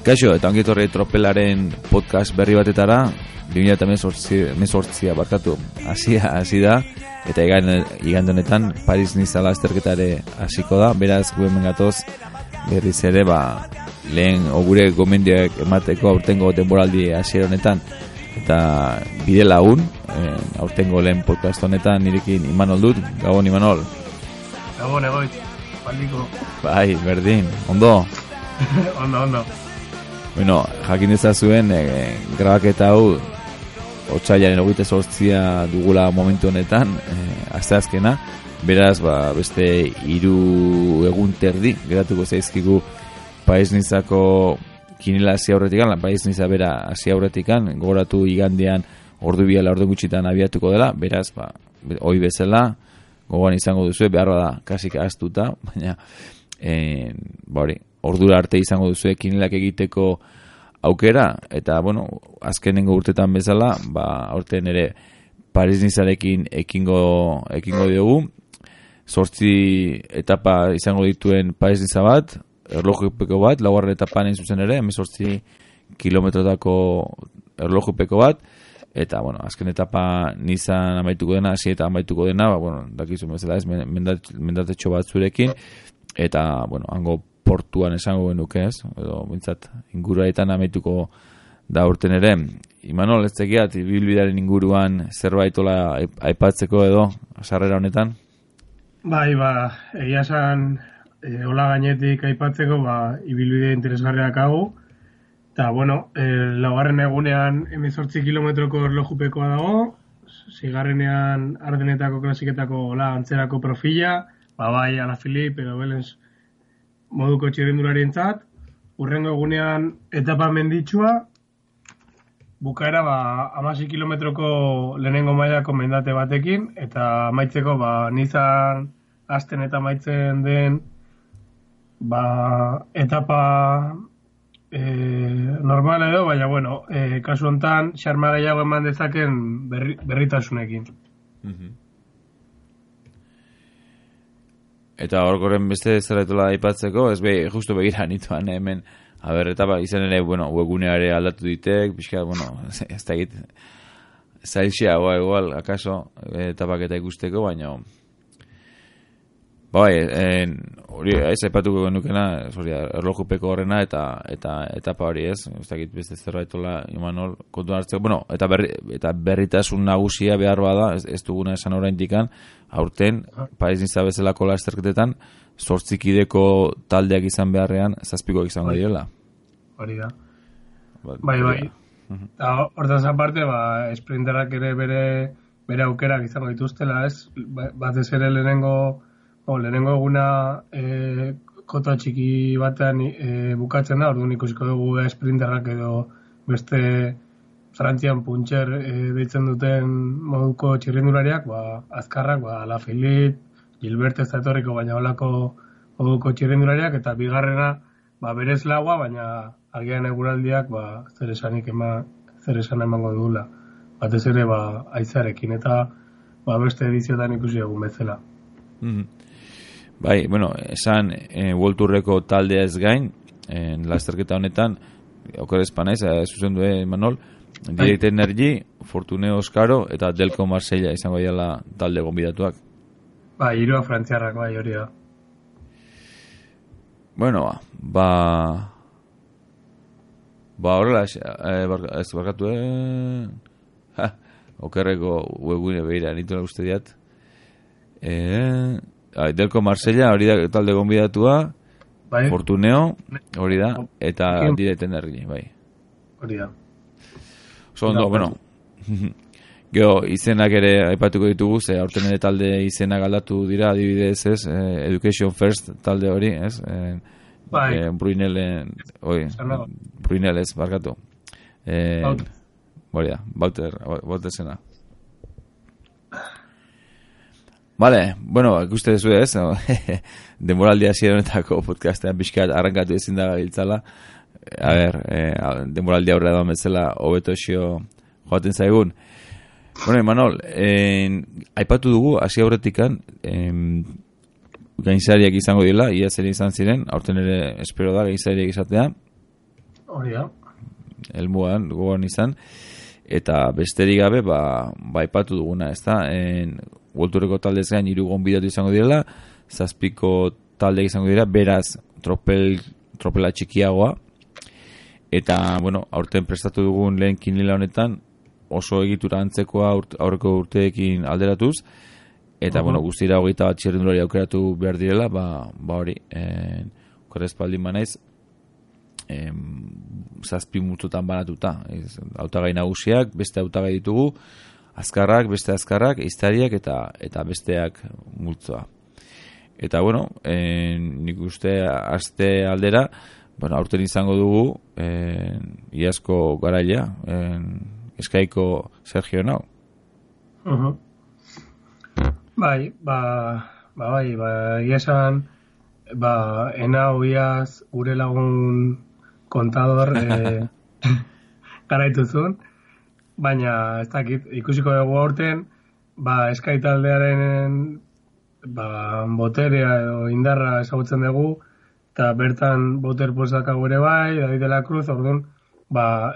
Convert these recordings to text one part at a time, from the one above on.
Kaixo, eta ongi etorri Tropelaren podcast berri batetara, 2018 barkatu, hasi da, eta igande honetan Paris-Nice lasterketare hasiko da, beraz gu hemen gatoz berriz ere, lehen gure gomendioak emateko aurtengo denboraldi hasiera honetan, eta bide lagun, aurtengo lehen podcast honetan nirekin Imanol dut, Gabon Imanol. Gabon egoitz, baldiko. Bai, berdin, ondo? Ondo. Bueno, jakin dezazuen grabaketa hau otsailaren 28 dugula momentu honetan, asteazkena, beraz beste 3 egun terdi geratuko zaizkigu Paris-Niceko kinela hasi aurretikan, Paris-Nice bera hasi aurretikan, gogoratu igandean ordu biala ordu gutxitan abiatuko dela, beraz hoi bezala gogoan izango duzu, beharra da kasik ahaztuta, baina ordura arte izango duzu kinelak egiteko aukera, eta azkenengo urtetan bezala, aurten ere Paris-Nicearekin ekingo diogu, 8 etapa izango dituen Paris-Nice bat, erlojupeko bat, laugarren etapan zuzen ere, 18 kilometrotako erlojupeko bat, eta azken etapa Nizan amaituko dena, hasi eta amaituko dena, dakizu bezala ez, mendatetxo bat zurekin, eta hango portuan esango genuke ez, edo bintzat inguruetan amaituko da urten ere. Imanol, ez tekiat, ibilbidearen inguruan zerbaitola aipatzeko edo, sarrera honetan? Bai, egia esan, hola gainetik aipatzeko, ibilbide interesgarriak hau, eta, laugarren egunean 18 kilometroko erlojupekoa dago, zigarrenean Ardenetako klasiketako antzerako profila, bai Alaphilippe edo Belens moduko txirrindularientzat, urrengo egunean etapa menditsua, bukaera 16 kilometroko lehenengo mailako mendate batekin, eta amaitzeko Nizan hasten eta amaitzen den etapa normal edo, baina kasu hontan xarma gehiago eman dezaken berritasunekin. Eta horkoren beste zerretola aipatzeko, ez justu begira nituan hemen, etapa izan ere, webguneare aldatu ditek, pixka, ez da egit, zailxea, igual, akaso, etapak eta ikusteko, baina, hori, ez aipatuko genukena, erlojupeko horrena, eta etapa hori ez egit beste zerretola, Imanol, kontuan hartzeko, eta berritasun nagusia behar bada, ez duguna esan oraindikan, aurten, Paris-Nice bezalako lasterketetan, 8 kideko taldeak izan beharrean, 7 izango direla. Hori da. Bai. Hortaz aparte, sprinterrak ere bere aukerak izango dituztela, ez? Batez ere lehenengo eguna kota txiki batean bukatzen da, orduan ikusiko dugu sprinterrak edo beste Frantzian puntxer deitzen duten moduko txirrindulariak, azkarrak, Alaphilippe, Gilbert ez da etorriko, baina holako moduko txirrindulariak, eta bigarrena berez laua, baina agian eguraldiak zer esan emango dugula. Batez ere haizearekin, eta beste ediziotan ikusi egun bezala. Bai, esan World Tourreko taldea ez gain, lasterketa honetan, okerezpan ez, zuzen du, Manol, Direct Energy, Fortuneo Oscaro eta Delco Marsella izango dira talde gonbidatuak. Hirua frantziarrak, hori da. Horrela, ez barkatu, okerreko webgune behira, nituen uste diat. Delco Marsella, hori da talde gonbidatua, Fortuneo, hori da, eta Direct Energy, bai. Hori da. Gero, izenak ere aipatuko ditugu, aurten ere talde izenak aldatu dira, adibidez, ez, Education First talde hori, ez, Brunel ez, barkatu. Hori da, Bauter zena. Vale, ikuste duzu ez, denboraldi hasieronetako podcastean pixkat arrankatu ezin da gabiltzala. Denboraldi aurre da bezala hobeto joaten zaigun. Manol, aipatu dugu hasi aurretikan gainzariak izango dira, ia zer izan ziren, aurten ere espero da gainzariak izatea. Hori da. Elmuan, gogoan izan. Eta besterik gabe, aipatu duguna, ez da? Worldtourreko taldez gain 3 gonbidatu izango direla, 7 talde izango dira, beraz, tropela txikiagoa. Eta, bueno, aurten prestatu dugun lehen kinila honetan, oso egitura antzekoa aurreko urteekin alderatuz, eta, bueno, guztira 21 txirrindulari aukeratu behar direla, hori, korrespaldin banaiz, 7 multzotan banatuta. Hautagai nagusiak, beste hautagai ditugu, azkarrak, beste azkarrak, ehiztariak eta besteak multzoa. Eta, bueno, nik uste aste aldera, bueno, aurten izango dugu iazko garailea, Eskaiko Sergio Nau. Bai, iesan, Enau iaz gure lagun kontador garaituzun, baina ez dakit, ikusiko dugu aurten, Eskai taldearen boterea edo indarra ezagutzen dugu, eta bertan boter posakago ere bai, David de la Cruz, orduan,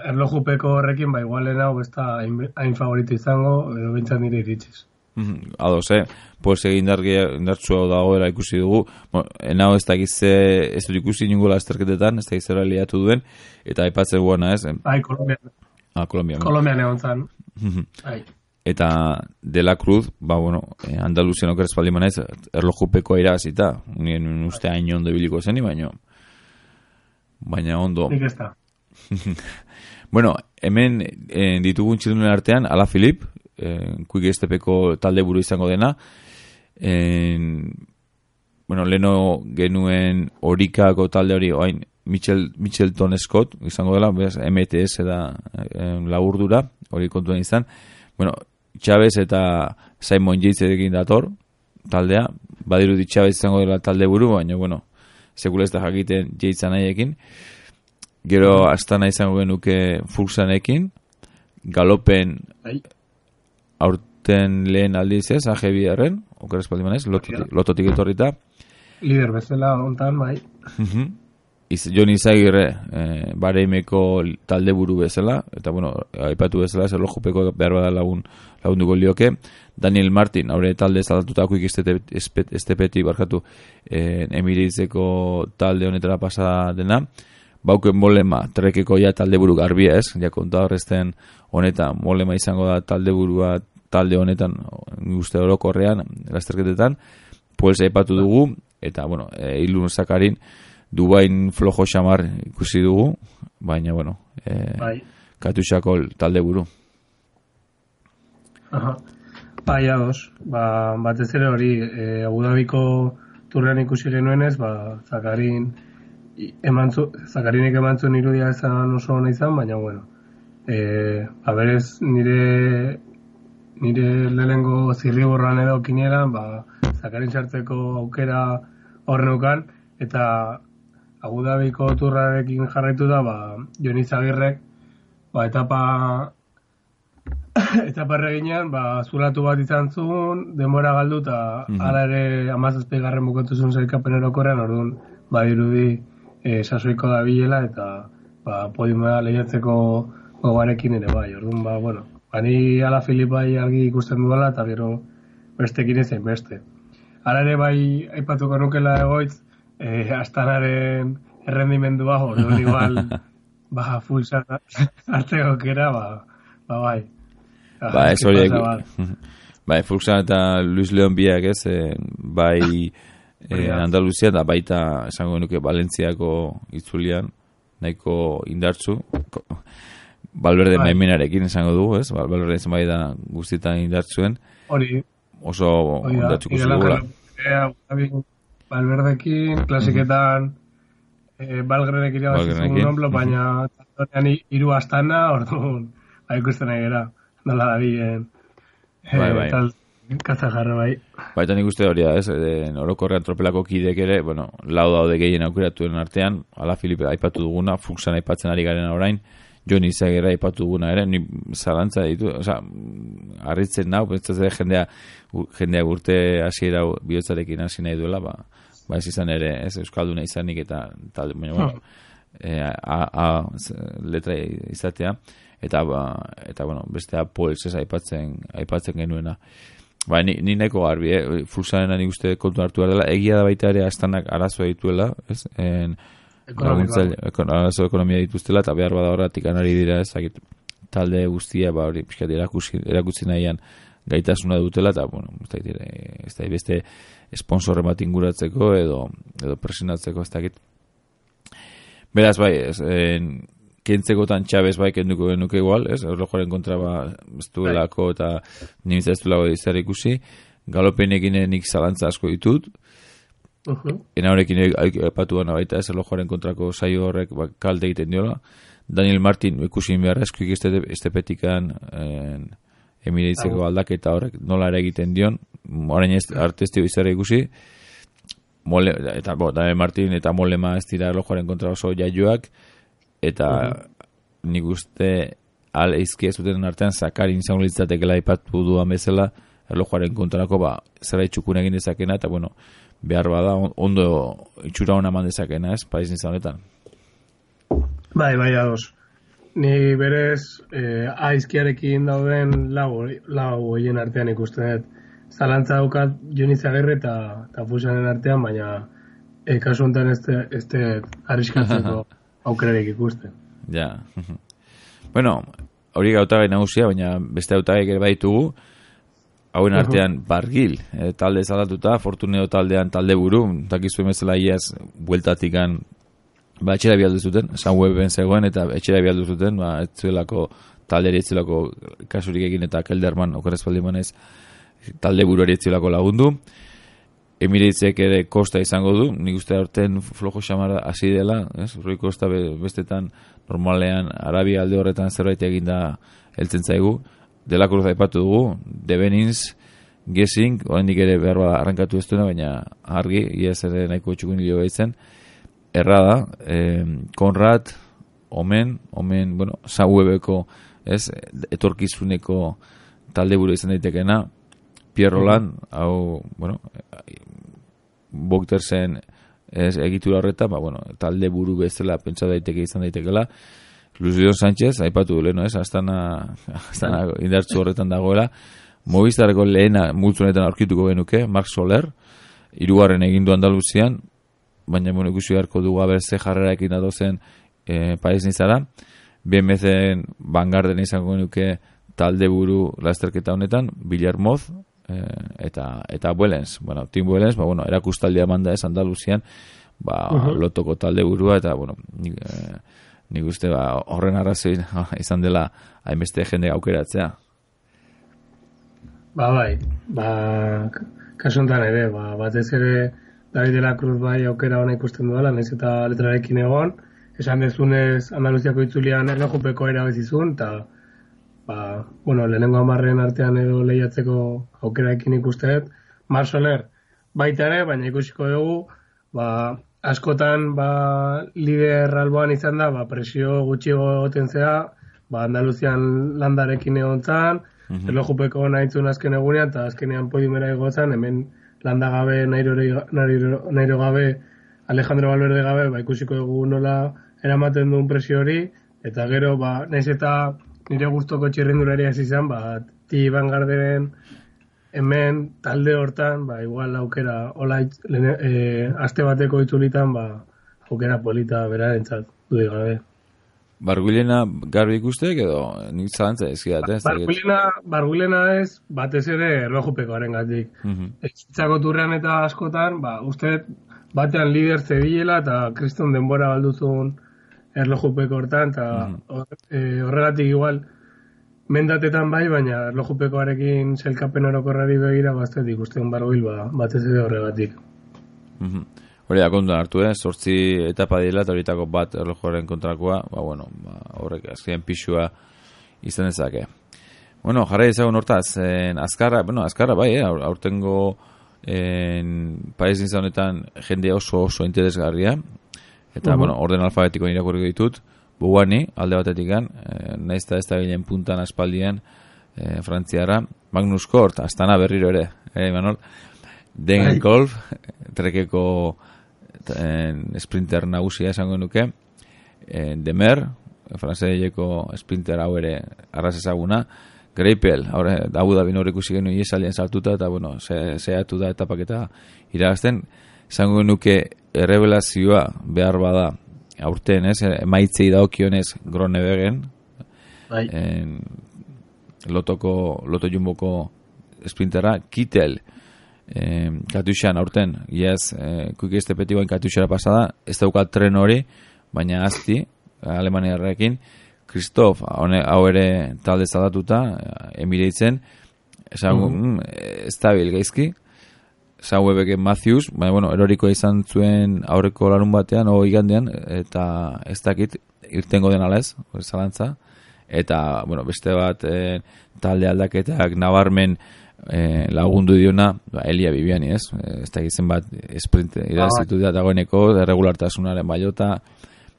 erlojupeko horrekin, igual Enau ez da hain favorito izango, edo bintzat nire iritsiz. Ados, pues indartsua dagoela ikusi dugu. Bueno, Enau ez dakiz ez dut ikusi ningola azterketetan, ez dakiz zera liatu duen, eta aipatzen guana, ez? Kolombian. Kolombian. Kolombian egon zan. Eta De la Cruz, Andaluzian okeraz paldi manaiz, erlojupekoa iragazita. Nien uste hain ondo ibiliko zeni, baina ondo. Nik ez da. Bueno, hemen ditugun txirrindularen artean, Ala Filip, Quick Stepeko talde buru izango dena. Leno genuen Orikako talde hori, oain Mitchelton Scott izango dela, MTS da laburdura, hori kontuen izan. Chávez eta Simon Yates egin dator taldea, badirudi Chávez izango dela talde buru, baina, sekula ez da jakiten Yates anaiekin. Gero Astana izango genuke Fuxanekin, Galopen aurten lehen aldiz ez, AG2-arren, okeraz paldimanez, lototik etorrita. Lider bezala ontan, bai. Jon Izagirre, Bareimeko talde buru bezala, eta, aipatu bezala, erlojupeko behar bada lagunduko lioke. Daniel Martin, haure talde zalatutako Estepetik barkatu Emiratzeko talde honetara pasa dena. Bauken Molema, Trekeko talde buru garbia ez, konta horrezten honetan, Molema izango da talde burua talde honetan, uste orokorrean, lasterketetan, Puels aipatu dugu, eta, Ilun Zakarin, Dubain flojo xamar ikusi dugu, baina, Katusako talde buru. Bai, ados. Batez ere hori, Abu Dhabiko turrean ikusi genuenez, Zakarinek emantzun irudia ezan oso hona izan, baina, berez nire lehenengo zirriborran edo kinielan, Zakarin sartzeko aukera horrenukan, eta Abu Dhabiko turrarekin jarraitu da, Jon Izagirrek, etapa erreginean, zulatu bat izan zuen, denbora galdu, eta ala ere 17. bukatu zuen zailkapen erokorrean, orduan, badirudi sasoiko da bilela, eta podiumea lehiatzeko gogarekin ere bai, orduan, ni Ala Filip bai argi ikusten duela, eta gero bestekin ezein beste. Ala ere bai aipatuko nukela egoitz, Astanaren errendimendua, orduan igual, full hartzeko kera, bai. Ez horiek. Fuxan eta Luis León biak ez, bai Andaluzia eta baita esango nuke Valentziako itzulian, nahiko indartzu. Valverde maimenarekin esango dugu, ez? Valverde izan bai da guztietan indartzuen. Hori. Oso indartzuko zugula. Valverdekin, klasiketan, Valgrenek irabazitzen nomblo, baina tatonean 3 Astana, orduan, ikusten nahi gara, nola da bien. Bai. Kazajarra bai. Baita nik uste hori da, ez? Orokorrean tropelako kidek ere, lau daude gehien aukeratuen artean, Ala Filipe aipatu duguna, Fuxan aipatzen ari garen orain, Jon Izagirre aipatu duguna ere, ni zalantza ditu, harritzen nau, jendea urte hasiera bihotzarekin hasi nahi duela, ez izan ere, ez euskalduna izanik eta talde, baina, letra izatea, eta bueno, bestea Pols ez aipatzen genuena. Ba, ni nahiko garbi, Fuxarena nik uste kontu hartu behar dela, egia da baita ere Astanak arazoa dituela, ez? Arazo ekonomia dituztela, eta behar bada horretik anari dira, ez? Talde guztia, ba, hori, pixkat erakutsi nahian gaitasuna dutela, eta, bueno, ez da beste esponsorren bat inguratzeko, edo presionatzeko, ez dakit. Beraz, bai, kentzekotan Txabez bai kenduko genuke igual, ez? Erlojoaren kontra ez duelako eta nimitza ez duelako izar ikusi. Galopenekin nik zalantza asko ditut. Ena horrekin epatu gana baita, ez? Erlojoaren kontrako saio horrek kalte egiten diola. Daniel Martin ikusi beharra eskuik estepetikan emireitzeko aldaketa horrek nola ere egiten dion. Orain arte ez dio izar ikusi. Daniel Martin eta Molema ez dira erlojoaren kontra oso jaioak. Eta nik uste eizkia zuten artean Zakarin izango litzatekela aipatu duan bezala erlojuaren kontrako zera itxukun egin dezakena eta bueno, behar bada ondo itxura hona eman dezakena, ez? Paris nizan honetan. Bai, ados. Ni berez aizkiarekin dauden lau hoien artean ikusten dut. Zalantza daukat Joni Zagirre eta Fuxanen artean, baina kasu honetan ez arriskatzeko aukerarek ikusten. Ja. Bueno, hori gautagai nagusia, baina beste gautagai ere baitugu, hauen artean Bargil, talde zalatuta, Fortuneo taldean talde buru, dakizu emezela iaz bueltatikan, etxera bialdu zuten, Sunweben zegoen, eta etxera bialdu zuten, etzuelako talderi etzuelako kasurik egin, eta Kelderman, okorrezpaldimanez, talde buruari etzuelako lagundu. Emirateek ere Kosta izango du, nik uste aurten flojo xamara hasi dela, ez? Rui Kosta bestetan normalean Arabia alde horretan zerbait eginda heltzen zaigu. De la Cruz aipatu dugu, De Benins, Gessing, oraindik ere behar arrankatu ez duena, baina argi, iaz ere nahiko txukun hilo behitzen. Errada, Konrad, Omen, bueno, Sauebeko, ez? Etorkizuneko talde buru izan daitekena, Pierre Roland, hau, bueno, Boktersen egitura horreta, bueno, talde buru bezala pentsa daiteke izan daitekela. Luis Leon Sánchez, aipatu du leheno, ez? Astana indartzu horretan dagoela. Movistarreko lehena multzunetan aurkituko genuke, Marc Soler, 3. egindu Andaluzian, baina bueno, ikusi beharko dugu ze jarreraekin datozen Paris Nizara. BMC-en Vanguarden izango genuke talde buru lasterketa honetan, Villarmoz, eta Buelens, bueno, Tim Buelens, bueno, erakustaldia manda ez Andaluzian, lotoko talde burua, eta bueno, nik uste horren arrazoi izan dela hainbeste jende aukeratzea. Bai, kasuntan ere, batez ere David de la Cruz bai aukera hona ikusten duela, nahiz eta letrarekin egon, esan dezunez Andaluziako itzulian erlojupeko erabezizun, eta bueno, lehenengo 10 artean edo lehiatzeko aukeraekin ikusteet. Marc Soler baita ere, baina ikusiko dugu, askotan lider alboan izan da, presio gutxiago egoten zea, Andaluzian landarekin egon zan, erlojupeko nahitzun azken egunean, eta azkenean podiumera egotzen, hemen landa gabe, Nairo gabe, Alejandro Valverde gabe, ikusiko dugu nola eramaten duen presio hori, eta gero, nahiz eta nire gustoko txirrindulari hasi izan, Ti Vanguarden hemen talde hortan, igual aukera, aste bateko itzulitan, aukera polita berarentzat, dudik gabe. Barguilena garbi ikustek edo nik zalantza ezkidat, ez? Barguilena ez, batez ere erlojupekoaren gatik. Etxitzako turrean eta askotan, uste batean lider zebilela eta kriston denbora balduzun erlojupeko hortan, eta horregatik igual mendatetan baina erlojupekoarekin zelkapen orokorrari begira baztetik ustean Barguil batez ere horregatik. Hori da kontuan hartu, 8 etapa dira eta horitako bat erlojuaren kontrakoa, horrek azken pixua izan dezake. Bueno, jarra izagun hortaz, azkarra bai, aurtengo Paris Nizan honetan jende oso interesgarria, eta, orden alfabetiko irakurriko ditut, Bugani, alde batetikan, nahiz eta ez da bilen puntan aspaldian, Frantziara, Magnus Kort, Astana berriro ere, Imanol, Degenkolb, trekeko sprinter nagusia esango nuke, Demer, franzeseko sprinter hau ere arras ezaguna, Greipel, Abu Dhabi hor ikusi genuen iesaldian sartuta, eta bueno, zehatu da etapaketa iragazten, izango nuke errebelazioa behar bada aurten, emaitzei daokionez Groenewegen, Loto Jumboko sprinterra, Kittel, Katushan aurten, kuiki estepetikoen Katushara pasada, ez daukat tren hori, baina azti, Alemaniarrekin, Christoph, hau ere talde zaldatuta, Emiratesen, estabil gaizki, Sauebeke Matthews, baina, bueno, eroriko izan zuen aurreko larun batean, igandean, eta ez dakit, irtengo den ala ez, zalantza, eta, bueno, beste bat talde aldaketak nabarmen lagundu diona, Elia Bibiani, ez? Ez da gizen bat sprint irazitu da dagoeneko, regulartasunaren baiota,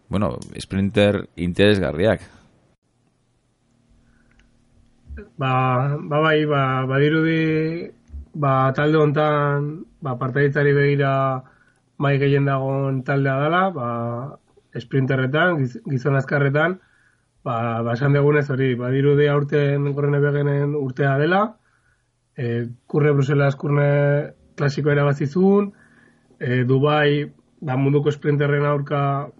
bueno, sprinter interesgarriak. Badirudi, talde hontan, partaitzari begira mai gehien dagoen taldea dela, sprinterretan, gizon azkarretan, esan degunez hori, badirudi aurten Groenewegenen urtea dela, kurre Bruselas kurne klasiko erabazizun, Dubai, munduko sprinterren aurka,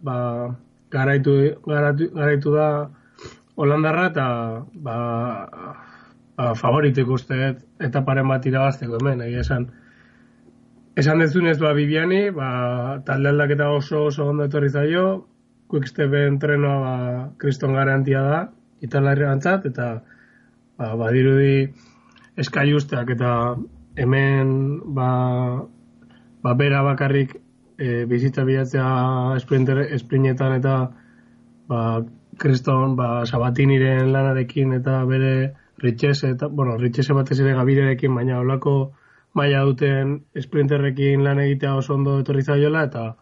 garaitu da Holandarra, eta favorito ikusteet etaparen bat irabazteko hemen, esan dezunez Bibiani, talde aldaketa oso ondo etorri zaio, Quickstepen trenoa kriston garantia da, italarriantzat, eta badirudi eskaiusteak eta hemen bera bakarrik bizitza bilatzea esprinetan eta kriston Sabatiniren lanarekin eta bere Ritxese batez ere Gabirerekin, baina holako maila duten sprinterrekin lan egitea oso ondo etorri zaiola, eta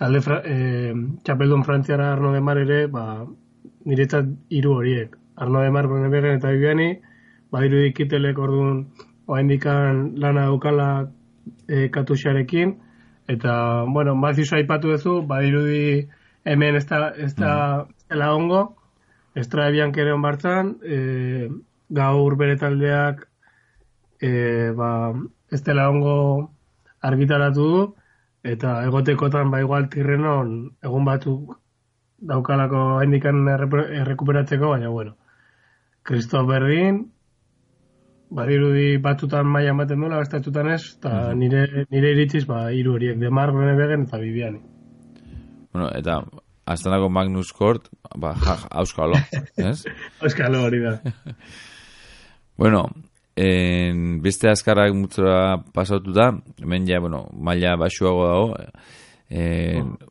talde txapeldun frantziara Arnaud Demar ere, niretzat hiru horiek. Arnaud Demar, Groenewegen eta Bibiani, badirudi Kittelek orduan oraindikan lana daukala Katusarekin, eta, bueno, Matthews aipatu duzu, badirudi hemen ez da ongo, Estrada Biancheren bartzan, gaur bere taldeak ez dela ongo argitaratu du, eta egotekotan igual Tirrenon egun batzuk daukalako haindikan errekuperatzeko, baina bueno, Christoph berdin, badirudi batzutan maila ematen duela, bestatutan ez, eta nire iritziz hiru horiek, Demar, Groenewegen eta Bibiani. Bueno, eta Aztanako Magnus Kort, auskalo, ez? Auskalo hori da. Bueno, beste azkarrak mutzora pasatu da, hemen ja, bueno, maila basuago dago,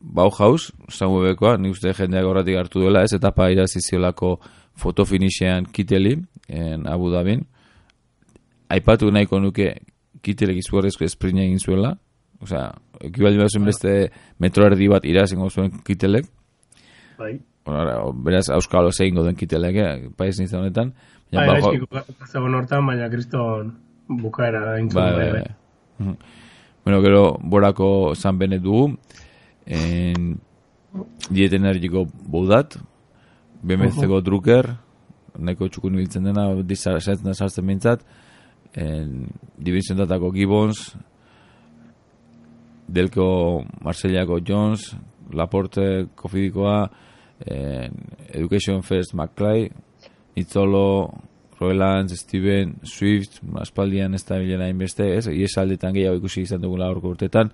Bauhaus, Saubekoa, nik uste jendeak horretik hartu duela, ez, etapa iraziziolako fotofinixean Kitteli, Abu Dhabin. Aipatu nahiko nuke Kittelek izugarrizko esprina egin zuela, osea, ekibaldi bat zuen beste metro erdi bat irazingo zuen Kittelek. Beraz, auskalo zehingo den Kittelek, paiz nintzen honetan. Baina kriston bukaera intzun. Bueno, gero borako San Benet dugu, Diet Energiko Boudat, BMC-ko Drucker, nahiko txukun biltzen dena, sartzen bintzat, Divisiondatako Gibbons, Delko Marsellako Jones, Laporte Kofidikoa, Education First McClay, Nitzolo, Roelands, Steven, Swift, aspaldian ez da bilena inbeste, iesaldetan gehiago ikusi izan dugula aurko urtetan,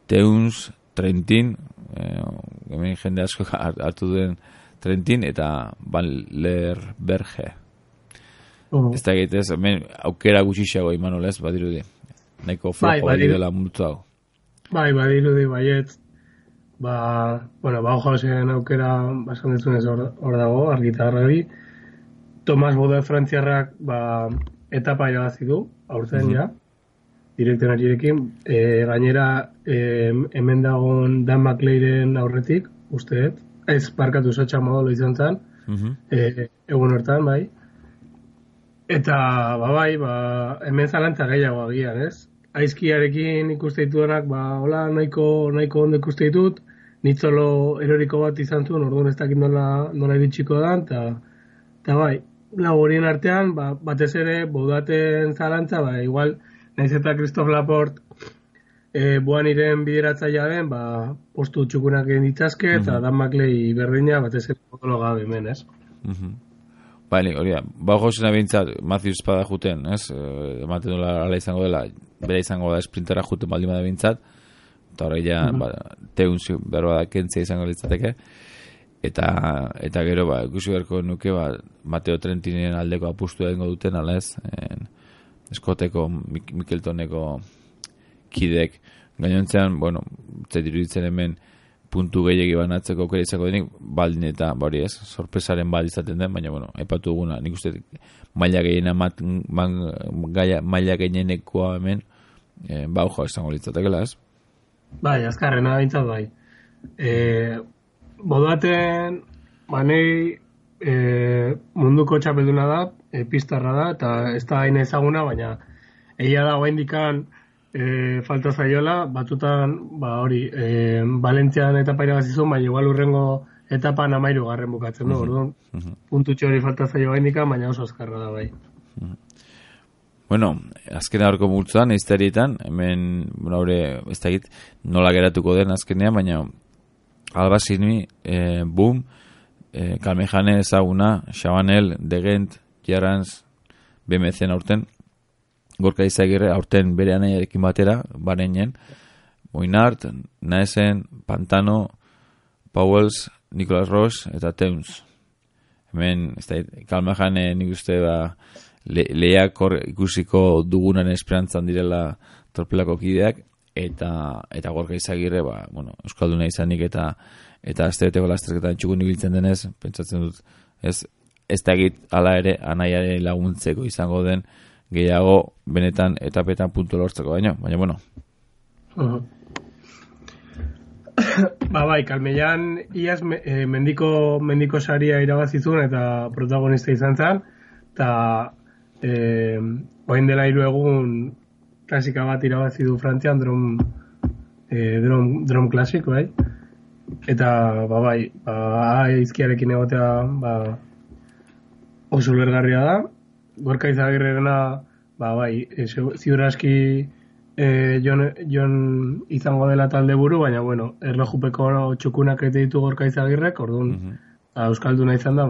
Teuns, Trentin, hemen jende asko hartu duen Trentin, eta Van Lerberge. Ez da egitez, hemen aukera gutxiago Imanol ez, badirudi. Nahiko flojo dela multu hau. Badirudi, baiet. Bauhausen aukera basan dezunez hor dago, argitarrari. Tomas Bode frantziarrak etapa irabazi du, aurten ja, direktenarirekin. Gainera, hemen dagoen Dan McLaren aurretik, usteet. Ez parkatu Sacha Modolo izan zen, egun hortan, bai. Eta, hemen zalantza gehiago agian, ez? Aizkiarekin ikuste ditudanak, hola, nahiko ondo ikuste ditut, nitzolo eroriko bat izan zuen, orduan ez dakit nola iritsiko da, eta bai, lau horien artean, batez ere, Boudaten zalantza, igual, naiz eta Christophe Laporte buan iren bideratzaia den, postu txukunak egin ditzazke, eta Dan Maclay berdina, batez ere, potologa hemen, ez? Bale, hori da, Josena bintzat, Matthews pada juten, ez? Ematen dola ala izango dela, bera izango da sprintera juten baldin bada bintzat, eta horre ja, teunzi berba da kentzea izango litzateke, eta gero, ikusi beharko nuke, Mateo Trentinen aldeko apustu egingo duten, ala ez, eskoteko, Mikeltoneko kidek, gainontzean, bueno, iruditzen hemen puntu gehiagi banatzeko aukera izango denik, baldin eta, hori ez, sorpresaren bal izaten den, baina, bueno, aipatu duguna, nik uste maila gehienekoa hemen, bauja izango litzatekela, ez? Bai, azkarrena bintzat bai. Boudaten, nei munduko txapelduna da, pistarra da, eta ez da hain ezaguna, baina egia da oraindikan falta zaiola, batzutan, hori, Valentzian etapa irabazizun, baina igual urrengo etapan 13 bukatzen, no? Orduan, puntutxo hori falta zaio oraindikan, baina oso azkarra da bai. Bueno, azken aurko multzoan, eizterietan, hemen, ez da egit, nola geratuko den azkenean, baina Alba Sinui, Boom, Kalmejane ezaguna, Chabanel, Degent, Jarranz, BMC aurten, Gorka Izagirre aurten bere anaiarekin batera, bareinen, Moinart, Naesen, Pantano, Powells, Nicolas Roche eta Teuns. Hemen, ez da, Kalmejane nik uste lehiak ikusiko dugunan esperantzan direla torpelako kideak, eta Gorka Izagirre, Euskalduna izanik eta astebeteko lasterketan txukun ibiltzen denez, pentsatzen dut, ez da egit ala ere anaiare laguntzeko izango den gehiago benetan etapetan puntu lortzeko baina, bueno. Bai, Kalmeian iaz mendiko saria irabazizun eta protagonista izan zen, eta oain dela 3 egun klasika bat irabazi du Frantzian drum klasik, bai? Eta, bai, izkiarekin egotea, oso lergarria da. Gorka Izagirrerena, bai, ziur aski Jon izango dela talde buru, baina, bueno, erlojupeko txukunak ete ditu Gorka Izagirrek, orduan, Euskalduna izan da,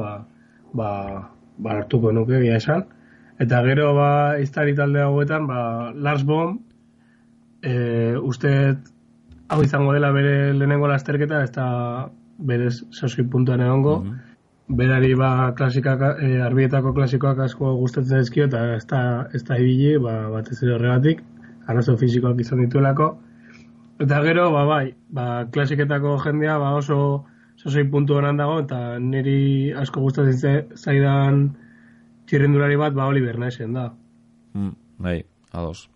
hartuko nuke egia esan. Eta gero, iztari talde hauetan, Lars Bohm, uste hau izango dela bere lehenengo lasterketa, ez da bere 6 puntuan egongo, berari arbietako klasikoak asko gustatzen zaizkio, eta ez da ibili, batez ere horregatik, arazo fisikoak izan dituelako. Eta gero, klasiketako jendea oso 6 puntu honan dago, eta niri asko gustatzen zaidan txirrendulari bat, Oliver Naesen da. Bai, ados.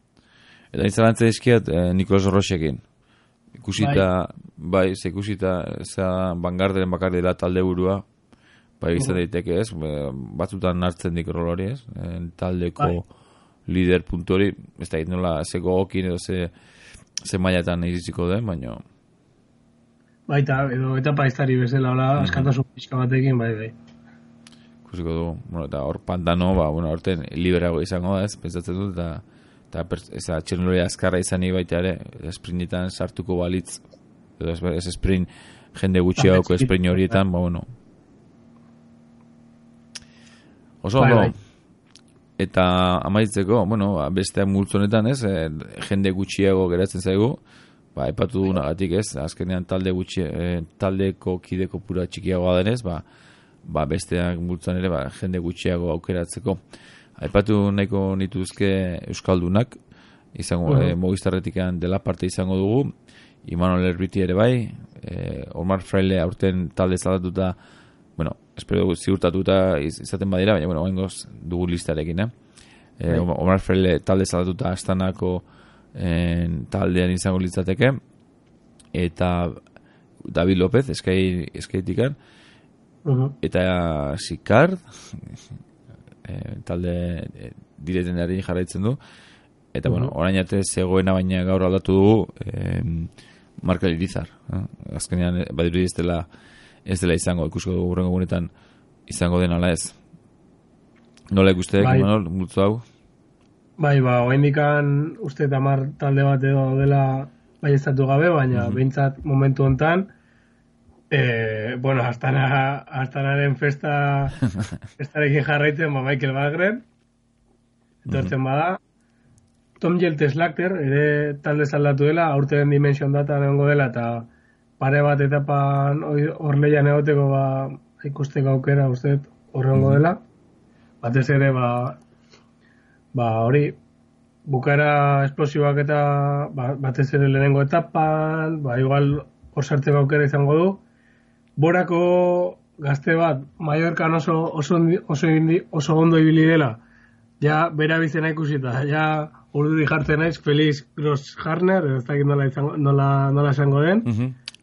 Eta izalantza dizkiat Nicolas Rochekin. Ikusita, Bangarderen bakar dela talde burua, izan daiteke ez, batzutan hartzen dik rol hori ez, taldeko lider puntu hori, ez da nola zeko okin edo ze mailatan iritsiko den, baina... Baita, edo etapa iztari bezala, askatasun pixka batekin, bai. Ikusiko dugu, eta hor Pantano, horten liberago izango da ez, pentsatzen dut, eta txernoloria azkarra izani baita ere, sprintetan sartuko balitz, edo ez sprint, jende gutxiagoko sprint horietan, oso ondo, eta amaitzeko, besteak multzonetan ez, jende gutxiago geratzen zaigu, epatu dugunagatik ez, azkenean taldeko kideko pura txikiagoa denez, besteak multzon ere, jende gutxiago aukeratzeko. Aipatu nahiko nituzke Euskaldunak, izango, Movistarretikan dela parte izango dugu, Imanol Erbiti ere bai, Omar Fraile aurten talde zaldatuta, espero dugu ziurtatuta izaten badira, baina, oengoz dugu listarekin, Omar Fraile talde zaldatuta Astanako taldean izango litzateke, eta David López, eskaitikan, eta Sikard, talde diretenari jarraitzen du, eta orain arte zegoena, baina gaur aldatu dugu, Marka Irizar. Azkenean, badirudi ez dela izango, ikusko dugu hurrengo gunetan izango den ala ez. Nola ikusteek, Imanol, multzo hau? Bai, oaindikan uste 10 talde bat edo dela bai estatu gabe, baina behintzat momentu hontan, Astanaren festarekin jarraitzen, Michael Wahlgren, etortzen bada, Tom Jeltes-Lackter, ere talde zaldatu dela, aurten Dimension Data egongo dela, eta pare bat etapan hor lehian egoteko ikusteko aukera uste horrengo dela. Batez ere, hori, bukaera esplosiboak eta batez ere lehenengo etapan, igual hor sartzeko aukera izango du. Borako gazte bat, Mallorcan oso ondo ibili dela, ja, bera bizena ikusita, ja, urduri jartzen naiz, Felix Grosshartner, ez dakit nola esango den.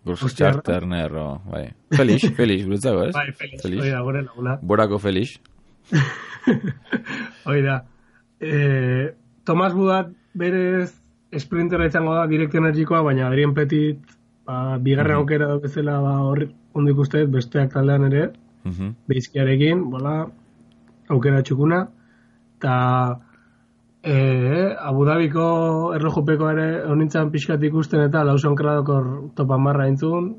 Grosshartner, bai. Felix, gurutzago, ez? Bai, Felix, hori da, gore laguna. Borako Felix. Hori da. Thomas Budat berez sprintera izango da, Direct Energykoa, baina Adrien Petit, bigarren aukera bezala hor ondo ikusteet, besteak taldean ere, Beizkiarekin, aukera txukuna, eta Abu Dhabiko erlojupeko ere honintzan pixkat ikusten eta Lawson Craddock topa marra entzun,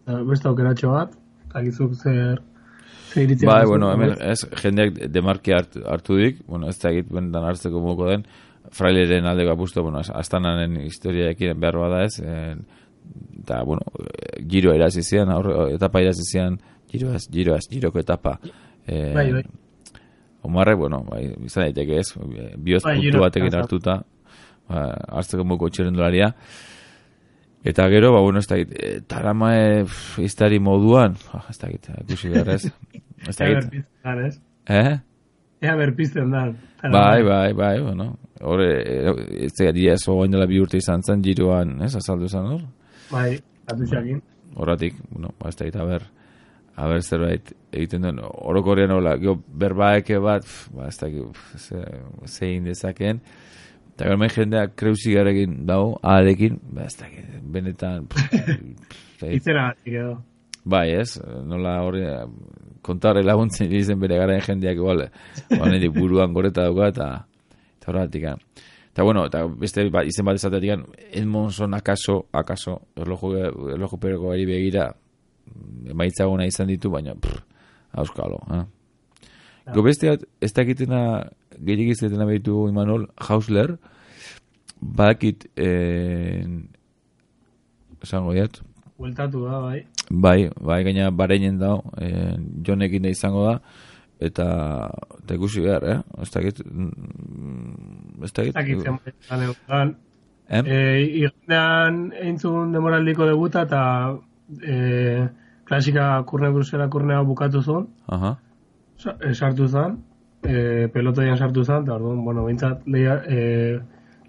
beste aukeratxo bat, eta gizuk zer iritzen. Bai, hemen ez, jendeak demarki hartu dik, ez da egit bentan hartzeko moko den, Fraileren aldeko apustu, Astanaren historiaekin behar bada ez, eta, giro erazizian, etapa erazizian, giroko etapa. Bai. Omarrek, izan daiteke ez, bioz puntu batekin hartuta, hartzeko moko txirrendularia. Eta gero, ez da egit, taramae iztari moduan, ez da egit, ikusi behar ez. Ez da egit. Ea berpizten da. Bai, hor, ez da egit, ez ogoin dela 2 urte izan zen, giroan, ez, azaldu zen hor? Bai, atutxakin. Horratik, ez da egit, haber zerbait egiten duen, orokorrean hola, berbaeke bat, ez da zein dezakeen, eta gero jendeak kreuzigarekin dago, aharekin, ez da benetan... Itzera batik edo. Bai, ez, nola hori, kontarre laguntzen izen bere garen jendeak igual, honetik buruan goreta dauka, eta horretik. Eta eta beste izen bat ezatetik, Edmondson akaso, erlojuperoko ari begira, emaitzaguna izan ditu, baina auskalo. Besteat, ez dakitena gehiagik izatena behitu Imanol Hausler, bakit esango diat. Bueltatu da, bai. Bai, gaina bareinen dao, Jonekin da izango da, eta ikusi behar, ez dakit. Ez dakit zen igandean eintzun demoraldiko debuta, eta klasika kurne brusela kurnea bukatu zuen, sartu zen, pelotoian sartu zen, eta orduan, bintzat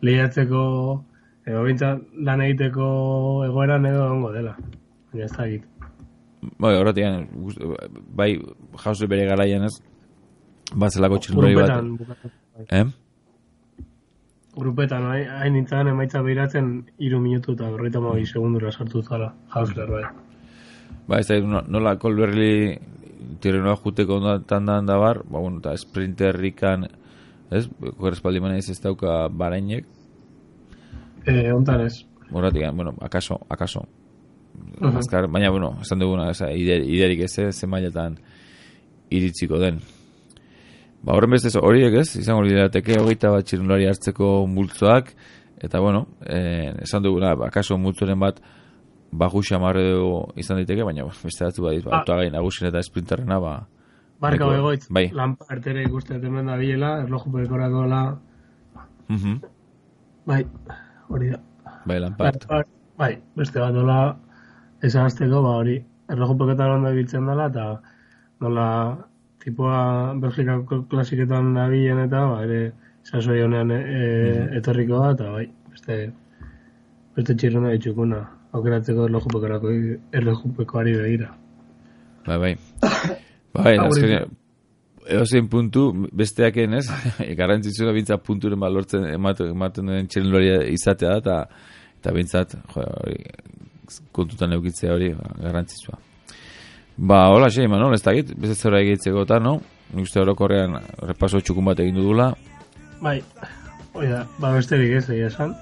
lehiatzeko, bintzat lan egiteko egoeran edo ongo dela, baina ez da egit. Bai, horretian, bai, jauze bere garaian ez, batzelako txirrundari bat. Grupetan, hain nintzen emaitza behiratzen 3 minutu eta 52 segundura sartu zala, Hausler, bai. Ba, ez da, nola Kolberli tirrenoa juteko tandan da bar, eta sprinterrikan, ez, korrespaldimana ez dauka barainek. Ontan ez. Horratik, akaso. Azkar, baina, esan duguna, iderik ez, ze mailetan iritziko den. Ba, horren bestez horiek ez, izango lirateke 21 txirrundulari hartzeko multzoak, eta, esan duguna, akaso multzoren bat, baju xamarre dugu izan diteke, baina beste datu badiz, autoagain nagusin eta sprinterrena, Barka begoitz, Lampard ere ikusten hemen da bilela, erlojupekorako la... Bai, hori da. Bai, Lampard. Bai, beste bat nola esagazteko, hori, erlojupeketan ondo ibiltzen dela, eta nola tipoa Belgikako klasiketan da bilen eta, ere, sasoi honean etorriko da, eta bai, beste txirruna ditxukuna. Aukeratzeko erlojupekoari begira. Bai, azkenean, edozein puntu, besteaken ez, garrantzitsua bintza punturen balortzen ematen den txirrendularia izatea da, eta bintzat, kontutan eukitzea hori, garrantzitsua. Hola, Manol, ez dakit, bezazera egitzeko eta, no? Nik uste orokorrean repaso txukun bat egin dudula. Bai, oida, besterik ez, esan.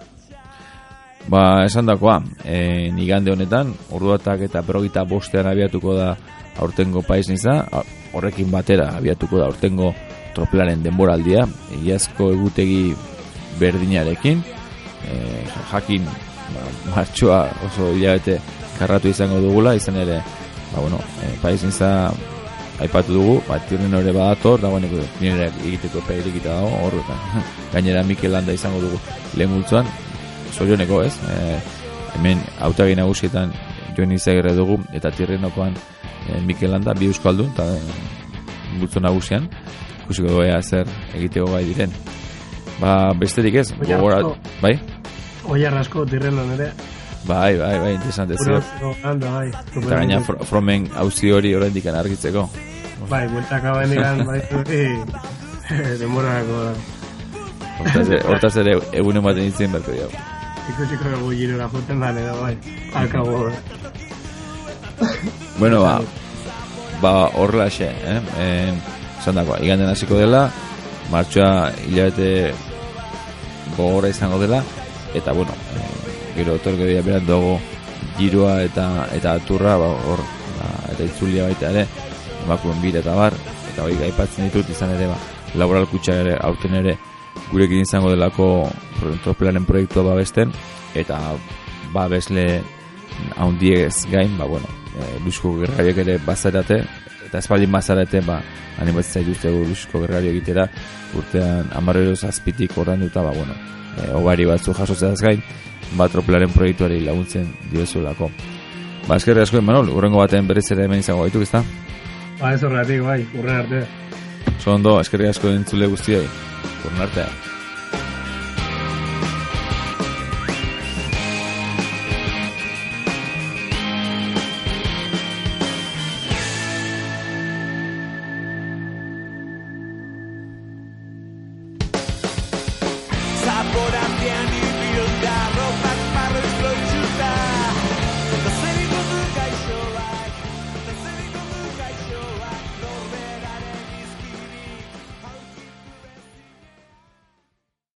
Esan dakoa, igande honetan, orduatak eta 25 abiatuko da aurtengo paisniza, horrekin batera abiatuko da aurtengo tropelaren denboraldia, egiazko egutegi berdinarekin, jakin martxoa oso hilabete karratu izango dugula, izan ere, paisniza aipatu dugu, tirren hori badator, dagoeneko nire egiteko epeerik eta dago, horretan. Gainera Mikel Landa izango dugu lehen multzuan, zorioneko ez, hemen hautagi nagusietan joan izagirre dugu, eta tirrenokoan Mikel Landa, bi euskaldun, eta multzu nagusian, ikusiko doa zer egiteko gai diren. Besterik ez, bai? Oiar asko tirrenon ere. Bai, interesante zer. Eta gaina Fromen hauzi hori oraindik argitzeko. Bai, bueltak hauen iran, bai, demorako da. Hortaz ere egunen baten itzen berko diago. Ikusiko dugu girora joten dan edo, bai, alkago. Bueno, horrela xe, zandakoa, iganden hasiko dela, martxoa hilabete gogorra izango dela, eta bueno, gero otorko dira beran dugu giroa eta aturra, eta itzulia baita ere, emakuen bira eta bar, eta hori gaipatzen ditut izan ere, laboral kutsa ere, aurten ere, gurekin izango delako tropelaren proiektua babesten, eta babesle haundiez gain, Luisko Gerrariak ere bazarate, eta espaldin bazarate, animatzen zaituztegu Luisko Gerrario egitera, urtean 10 ordan duta, obari batzu jasotzeaz gain, tropelaren proiektuari laguntzen diozulako. Eskerrik asko, Manol, urrengo baten berriz ere hemen izango gaituk, ezta? Ez horretik, urren arte. Ondo, eskerrik asko entzule guztioi, urren artea.